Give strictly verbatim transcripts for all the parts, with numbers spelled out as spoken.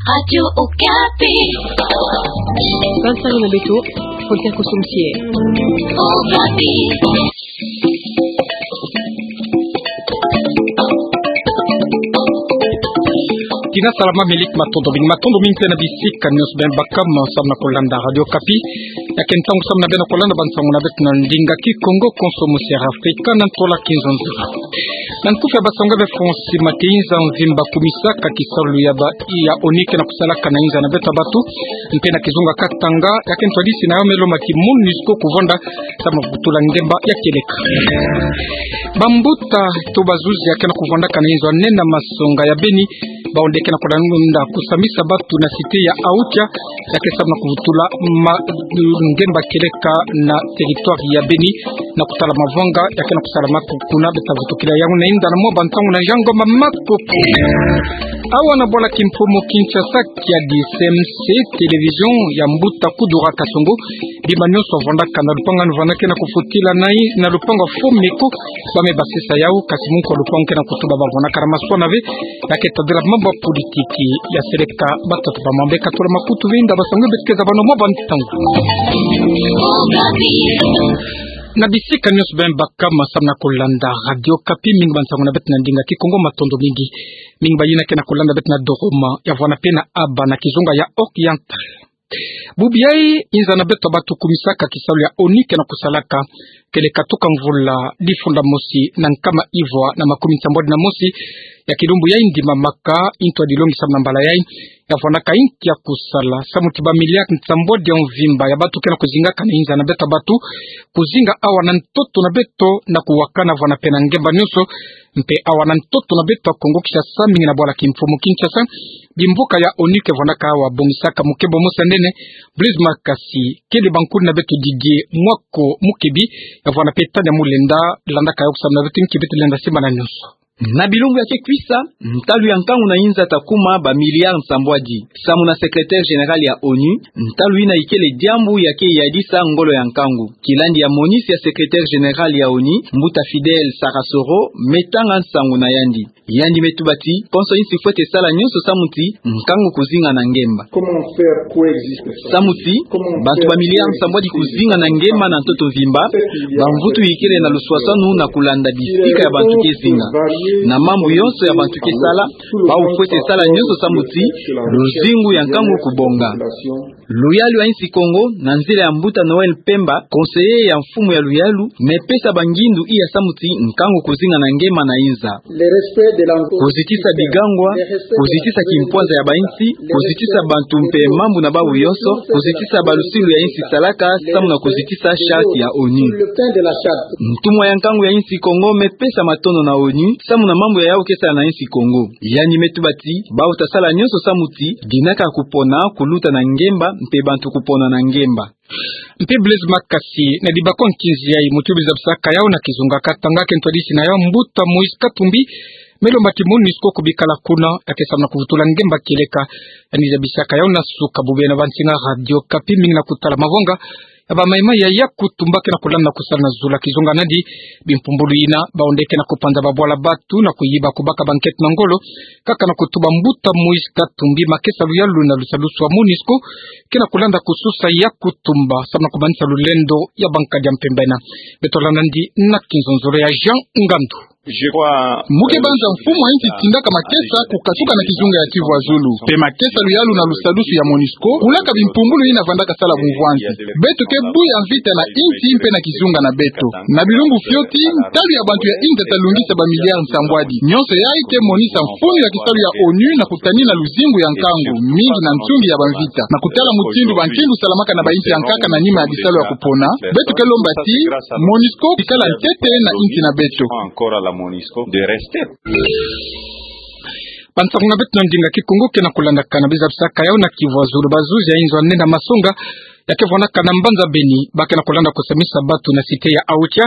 Radio Okapi. Bansango na beto, Frontier Kosomsie. Okapi. Tina salama, milik matondo mingi, matondo mingi mpe na bisika nyonso beno baka ma samu na kolanda Radio Okapi. Ya ke ntangu samu na beno kolanda bansango na beto na ndinga Kikongo, Konsomo Sierra Africa, na ntola Kinzonzolo. Na nkufi ya bansango ya Befonsi, Makenza mvimba kumisaka kisalu ya ba ya ONU ke na kusalaka na inza na beto ya batu, mpe na kizunga Katanga, ya ke ntwadisi na yo me lomba ki MONUSCO kuvanda samu na kuvutula ngemba ya kieleka. Bambuta to bazuzi ya ke na kuvandaka na inzo ya nne na masonga ya Beni, bawu nde ke na kulanda kusambisa batu na cité ya Aocha, ya ke samu na kuvutula ma-, ngemba kieleka na territoire ya Beni, na kutala mavanga ya ke na kusalama ku-, kuna. Beta vutukila yawu na inda na mwa bantangu na Jean Ngoma Makopo. Awa na bwala kimfumu Kinshasa, kiadi CMC, télévision ya mbuta Kudura Kasongo, bima nyonso vwandaka na lupangu anu vwandaka na kufutila na i-, na lupangu Fomeko, ba me basisa yawu, kasi munku lupangu ke na kutuba ba vwandaka na maswa na ve, ya ke tadila mambu ya politiki ya seleka. Batatu ba mambu ke tula makutu ve inda bansango beto ke zaba na mwa bantangu. Na bisika nyonso beno baka ma samu na kolanda Radio Okapi, mingi bansango na beto na ndinga Kikongo, matondo mingi. Mingi bayina ke na kolanda beto na Doroma, ya vwanda mpe na Aba na kizunga ya Oriental. Bubu yayi, inza na beto ya batu kumisaka kisalu ya ONU ke na kusalaka, kieleka tuka mvula difunda mosi na nkama ivwa na makumi nsambwadi na mosi ya kilumbu yayi ndimamaka, intwadilongi samu na mbala yayi, ya vwandaka inki ya kusala samu ti ba milliard nsambwadi ya mvimba ya batu ke na kuzingaka na inza na beto ya batu, kuzinga awa na ntoto na beto na kuwakana vwanda mpe na ngemba nyonso, mpe awa na ntoto na beto ya Kongo Kinshasa, mingi na bwala kimfumu Kinshasa, bimboka ya ONU ke vwandaka awa, bongisaka mukebo mosi ya nene, Blaise Makasi, kele bankulu na beto Didier Mwako Mukebi, ya vwanda mpe Tania Mulenda, landaka yawu samu na beto, nki beto lenda simba na nyonso. Na bilumbu ya ke kwisa, ntalu ya nkangu na inza ta kuma ba milliard nsambwadi. Samu na secrétaire général ya ONU, ntalu yina ikele diambu ya ke yadisa ngolo ya nkangu. Kilandi ya MONUS ya secrétaire général ya ONU, mbuta Fidel Sarasoro, me tanga nsangu na yandi. Yandi me tuba ti, konso insi fwete sala nyonso samu ti nkangu kuzinga na ngemba. Samu ti bantu ba milliard nsambwadi kuzinga na ngemba na ntoto mvimba, bamvutu ikele na luswaswanu na kulanda bisika ya bantu ke zinga. Na mambu yonso ya bantu ke sala, bawu fwete sala nyonso samu ti luzingu ya nkangu kubonga. Luyalu ya insi Kongo, na nzila ya mbuta Noël Pemba, conseiller ya mfumu ya luyalu, me pesa bangindu iya samu ti nkangu kuzinga na ngemba na inza. Kuzitisa bigangwa, kuzitisa kimpwanza ya bainsi, kuzitisa bantu mpe mambu na bawu yonso, kuzitisa balusilu ya insi salaka, samu na kuzitisa charte ya ONU. Ntumwa ya nkangu ya insi Kongo me pesa matondo na ONU, samu na mambu ya yawu ke sala na insi Kongo. Yandi me tuba ti, bawu ta sala nyonso samu ti dinaka kupona kuluta na ngemba, mpe bantu kupona na ngemba. Mpe Blaise Makasi, na dibako nkinzi yayi, muti bu zabisaka yawu na kizunga Katanga, ke ntwadisi na yawu mbuta Moïse Katumbi, me lomba ti MONUSCO kubikala kuna, ya ke samu na kuvutula ngemba kieleka. Yandi zabisaka yawu na suka bubu yayi na bansinga Radio Okapi, mingi na kutala mavanga ya ba maï-maï ya Yakutumba ke na kulanda kusala na zulu ya kizunga nadi. Bimpumbulu yina, bawu nde ke na kupanza babwala batu na kuyiba, kubaka banketo na ngolo, kaka na kutuba mbuta Moïse Katumbi, makesa luyalu na lusadusu wa MONUSCO ke na kulanda kususa Yakutumba, samu na kumanisa lulendo ya bankadi ya mpemba yina. Beto landa nandi na kinzonzolo ya Jean Ngandu. Mu ke banza mfumu wa insi tindaka makesa kukatuka na kizunga ya Kivu ya zulu. Mpe makesa luyalu na lusadusu ya MONUSCO, kulaka bimpumbulu yina vandaka sala bumvwanzi. Beto ke bu ya mvita na insi mpe na kizunga na beto. Na bilumbu fioti, ntalu ya bantu ya insi ta lungisa ba milliard nsambwadi. Nyonso yayi ke monisa mfunu ya kisalu ya ONU na kutanina luzingu ya nkangu, mingi na nsungi ya bamvita. Na kutala mutindu bankindu salamaka na bainsi ya nkaka na nima ya bisalu ya kupona, beto ke lomba ti MONUSCO ikala ntete na insi na beto. Encore à la MONUSCO de rester. Bansangu na beto na ndinga Kikongo ke na kulandakana, biza bisaka yawu na Kivu ya zulu. Bazuzi ya inzo ya nene ya masonga ya ke vwanaka na mbanza Beni, ba ke na kulanda kusambisa batu na cité ya Aocha,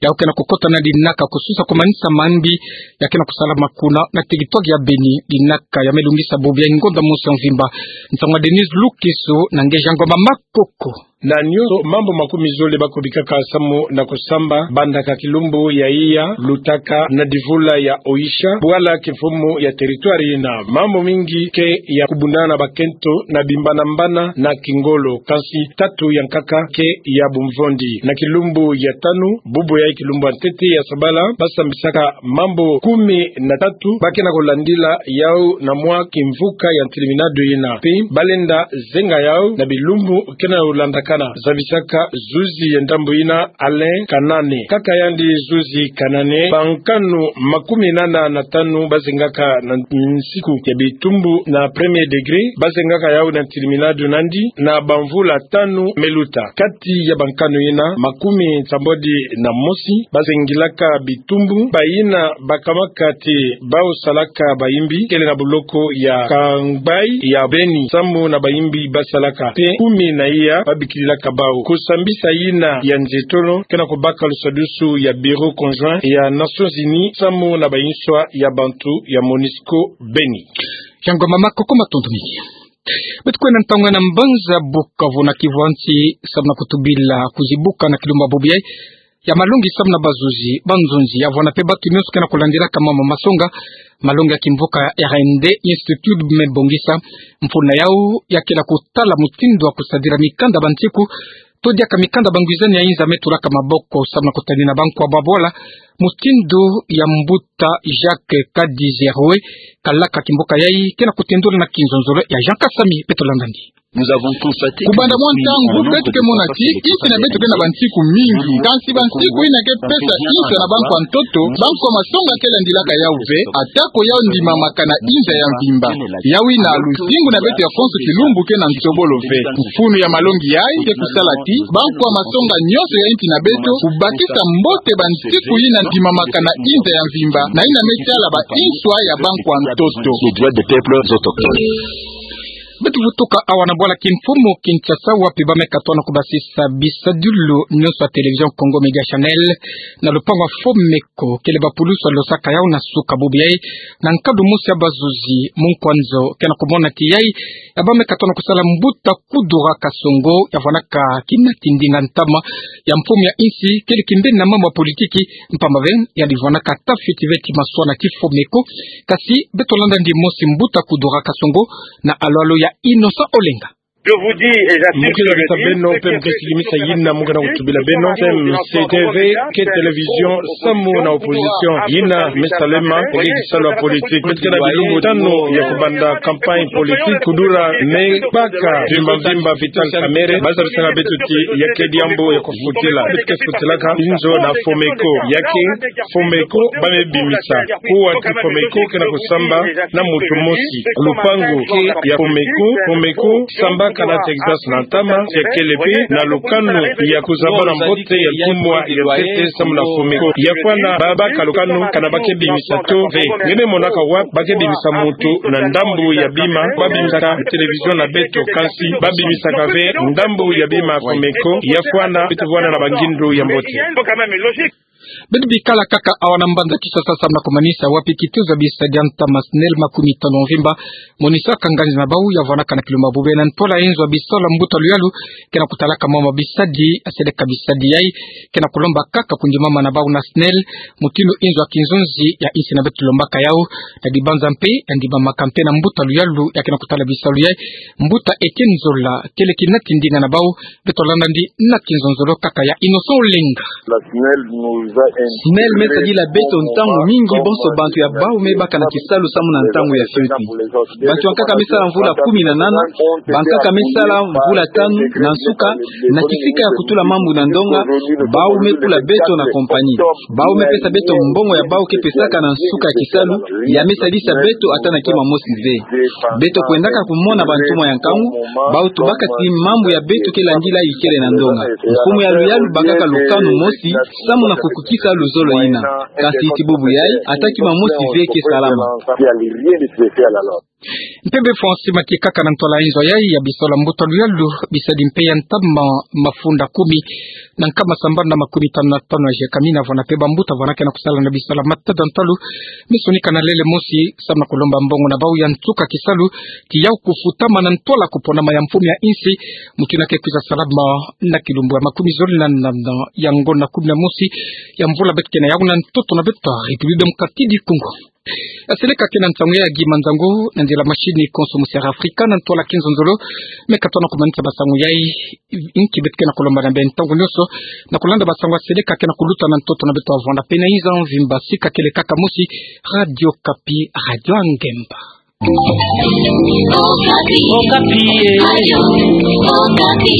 yau ke na kukota na dinaka kususa kumanisa mambi ya ke na kusalama kuna na territoire ya Beni. Dinaka ya me lungisa bubu ya ngonda mosi ya mvimba. Nsangwa Denise Lukisu na nge Jean Ngoma Makoko. Na nyonso mambu makumi zole ba kubikaka samu na kusamba, bandaka kilumbu ya iya, lutaka na divula ya Oisha, bwala kimfumu ya territoire yina. Mambu mingi ke ya kubundana na bakento na bimbana-mbana na kingolo, kansi tatu ya nkaka ke ya bumvondi. Na kilumbu ya tanu, bubu ya kilumbu ya ntete ya sabala, ba sambisaka mambu kumi na tatu ba ke na kulandila yau na mwa kimvuka ya ntiliminado yina. Pe ba lenda zenga yau na bilumbu ke na kulandakana, zabisaka zuzi ya ndambu yina Alain Kanane. Kaka yandi zuzi Kanane, bankanu makumi nana na tanu ba zengaka na nsiku ya bitumbu na premier degré, ba zengaka yau na ntiliminado nandi na bamvula tanu me luta. Kati ya bankanu yina, makumi nsambwadi na mosi ba zengilaka bitumbu, bayina ba kamaka ti bau salaka bayimbi, kele na buloko ya Kangbai ya Beni, samu na bayimbi ba salaka. Pe kumi na iya ba bikililaka bau. Kusambisa yina ya nzietolo ke na kubaka lusadusu ya Bureau Conjoint ya Nations Unies samu na bayinswa ya bantu ya MONUSCO Beni. Jean Ngoma Makoko, matondo mingi. Beto kwenda ntangu na mbanza Bukavu na Kivu ya nsi, samu na kutubila kuzibuka na kilumbu ya bubu yayi ya malongi samu na bazuzi, banzonzi, ya vwanda pe batu nyonso ke na kulandilaka mambu masonga malongi ya kimvuka ya R N D, Institut me bongisa. Mfunu yau ya ke na kutala mutindu wa kusadila mikanda bansiku, to diaka mikanda bangwizani ya inza me tulaka maboko samu na kutanina bankwa babwala, mutindu ya mbuta Jacques Kadizeroe, kalaka kimvuka yayi, ke na kutendula na kinzonzolo ya Jean Kasami. Beto landa ndi. Kubanda mwa ntangu, beto ke mona ti insi na beto ke na bansiku mingi. Kansi bansiku yina ke pesa insa na bankwa ntoto, bankwa masonga ke landilaka yau ve, atako yau ndimamaka na inza ya mvimba. Yau yina luzingu na beto ya konso kilumbu ke na nsobolo ve. Mfunu ya malongi yayi ke kusala ti bankwa masonga nyonso ya insi na beto kubakisa mbote bansiku yina ndimamaka na inza ya mvimba, na yina me sala ba inswa ya bankwa ntoto. Beto vutuka awa na bwala kimfumu Kinshasa, wapi ba me katuka na kubasisa bisadulu nyonso ya Télévision Congo Média Channel na lupangu ya Fomeko, kele bapulusu ya losaka yau na suka bubu yayi, na nkadu mosi ya bazuzi mu nkwa nzo ke na kumona ti yayi ya ba me katuka na kusala mbuta Kudura Kasongo, ya vwanaka kina tindinga ntama ya mfumu ya insi, kele kimbeni na mambu ya politiki, mpamba ve yandi vwanaka tafiti ve ti maswa na ti Fomeko. Kasi beto landa ndi mosi mbuta Kudura Kasongo na alwalo ya Innocent Olenga. Mu ke na besa beno, pe mu ke sikimisa yina mu ke na kutubila beno, M C T V ke télévision samu na opposition. Yina me salama, ke kisalu ya politique. Beto ke na bilumbu tanu ya kubanda campagne politique. Kudura me baka mvimba mvimba Vital Kamerhe, ba zabisaka beto ti ya ke diambu ya kufutila. Beto ke futilaka inzo na Fomeko. Ya ke Fomeko ba me bimisa. Kuwa ti Fomeko ke na kusamba na muntu mosi. Lupangu ke ya Fomeko. Fomeko sambaka na Texas na ntama, ya kele pe na lukanu ya kuzaba na mbote ya ntumwa ya ntete samu na Fomeko. Ya fwana ba baka lukanu kana ba ke bimisa to ve. Nge me monaka wapi ba ke bimisa muntu na ndambu ya bima? Ba bimisaka télévision na beto, kansi ba bimisaka ve ndambu ya bima Fomeko. Ya fwana beto vwanda na bangindu ya mbote. Beto bikala kaka awa na mbanza Kinshasa samu na kumanisa wapi kituza bisalu ya ntama SNEL makumi tanu ya mvimba, monisaka nganzi na bau ya vwanaka na kilumbu ya bubu yayi na ntwala inzo ya bisalu ya mbuta luyalu ke na kutalaka mama bisalu, ya seleka bisalu yayi, ke na kulomba kaka kundimama na bau na SNEL, mutindu inzo ya kinzonzi ya insi na beto lombaka yau, na dibanza mpe ya ndimamaka mpe na mbuta luyalu ya ke na kutala bisalu yayi, mbuta Etienne Zola, kele kina tindinga na bau. Beto landa ndi na kinzonzolo kaka ya Innocent Olenga. SNEL me sadila beto ntangu mingi bonso bantu ya bau me baka na kisalu samu na ntangu ya fioti. Bantu ya nkaka me sala mvula kumi na nana, bankaka me sala mvula tanu, na nsuka, na kisika ya kutula mambu na ndonga, bau me kula beto na compagnie. Bau me pesa beto mbongo ya bau ke pesaka na nsuka ya kisalu, ya me sadisa beto ata na kima mosi ve. Beto kwendaka kumona bantumwa ya nkangu, bau tubaka ti mambu ya beto ke landila ikele na ndonga. Mfumu ya luyalu bakaka lukanu mosi, samu na kukukisa luzolo yina. Kansi ti bubu yayi, ata kima mosi ve ke salama. Mpembe François Matiekaka na ntwala nzo yayi ya bisola mbuta luyalu, bisadi mpe ya ntama mafunda kumi na nkama sambanu na makumi tanu na tanu ya zieka mina, vwanda mpe bambuta vwanakena kusala na bisola matada ntalu. Misonika na lele mosi, samu na kulomba mbongo na bau ya nsuka kisalu, ki yau kufutama na ntwala kuponama ya mfumu ya insi, mutinake kwiza salama na kilumbu ya makumi zole na nana ya ngonda kumi na mosi ya mvula beto kena yawu na ntoto na beto République Démocratique du Congo. Aseleka kena nsangu ya gi manzangu na nzila mashini konso musi ya Afrika na ntwala kinzonzolo. Meka tona kumanisa basangu yayi, inki beto kena kulomba na beno ntangu nyonso na kulanda basangu aseleka kena kuluta na ntoto na beto, vwanda mpe na inza mvimba. Sika kele kaka mosi, Radio Okapi, Radio ya ngemba. Okapi. Okapi, eh. Radio Okapi.